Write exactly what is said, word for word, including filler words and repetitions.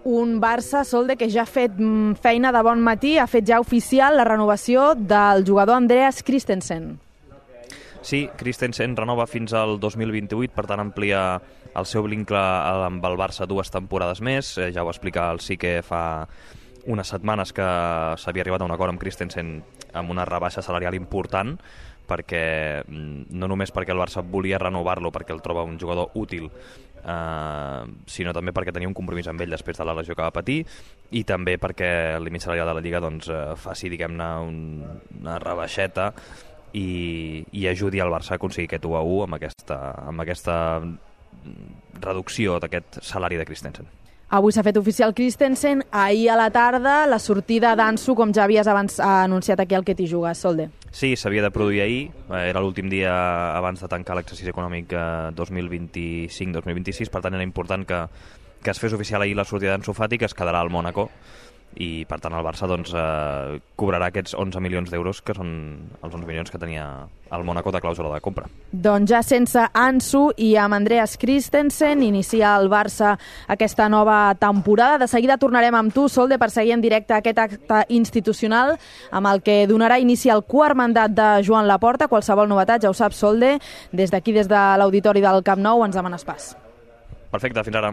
Un Barça, Solde, que ja ha fet feina de bon matí, ha fet ja oficial la renovació del jugador Andreas Christensen. Sí, Christensen renova fins al dos mil vint-i-vuit, per tant amplia el seu vincle amb el Barça dues temporades més. Ja ho explica el Sique fa unes setmanes que s'havia arribat a un acord amb Christensen amb una rebaixa salarial important, perquè no només perquè el Barça volia renovar-lo perquè el troba un jugador útil, eh, sinó també perquè tenia un compromís amb ell després de la lesió que va patir, i també perquè el límit salarial de la Lliga doncs, eh, faci, diguem-ne, un, una rebaixeta i, i ajudi al Barça a aconseguir aquest u a u amb aquesta, amb aquesta reducció d'aquest salari de Christensen. Avui s'ha fet oficial Christensen, ahir a la tarda la sortida d'Ansu, com ja havies abans anunciat aquí al Que t'hi jugues, Solde. Sí, s'havia de produir ahir, era l'últim dia abans de tancar l'exercici econòmic dos mil vint-i-cinc dos mil vint-i-sis, per tant era important que, que es fes oficial ahir la sortida d'Ansu Fati, que es quedarà al Mònaco, i per tant el Barça doncs, eh, cobrarà aquests onze milions d'euros, que són els onze milions que tenia el Mònaco de clàusula de compra. Doncs ja sense Ansu i amb Andreas Christensen inicia el Barça aquesta nova temporada. De seguida tornarem amb tu, Solde, per seguir en directe aquest acte institucional amb el que donarà inici al quart mandat de Joan Laporta. Qualsevol novetat, ja ho saps, Solde, des d'aquí, des de l'auditori del Camp Nou, ens demanes pas. Perfecte, fins ara.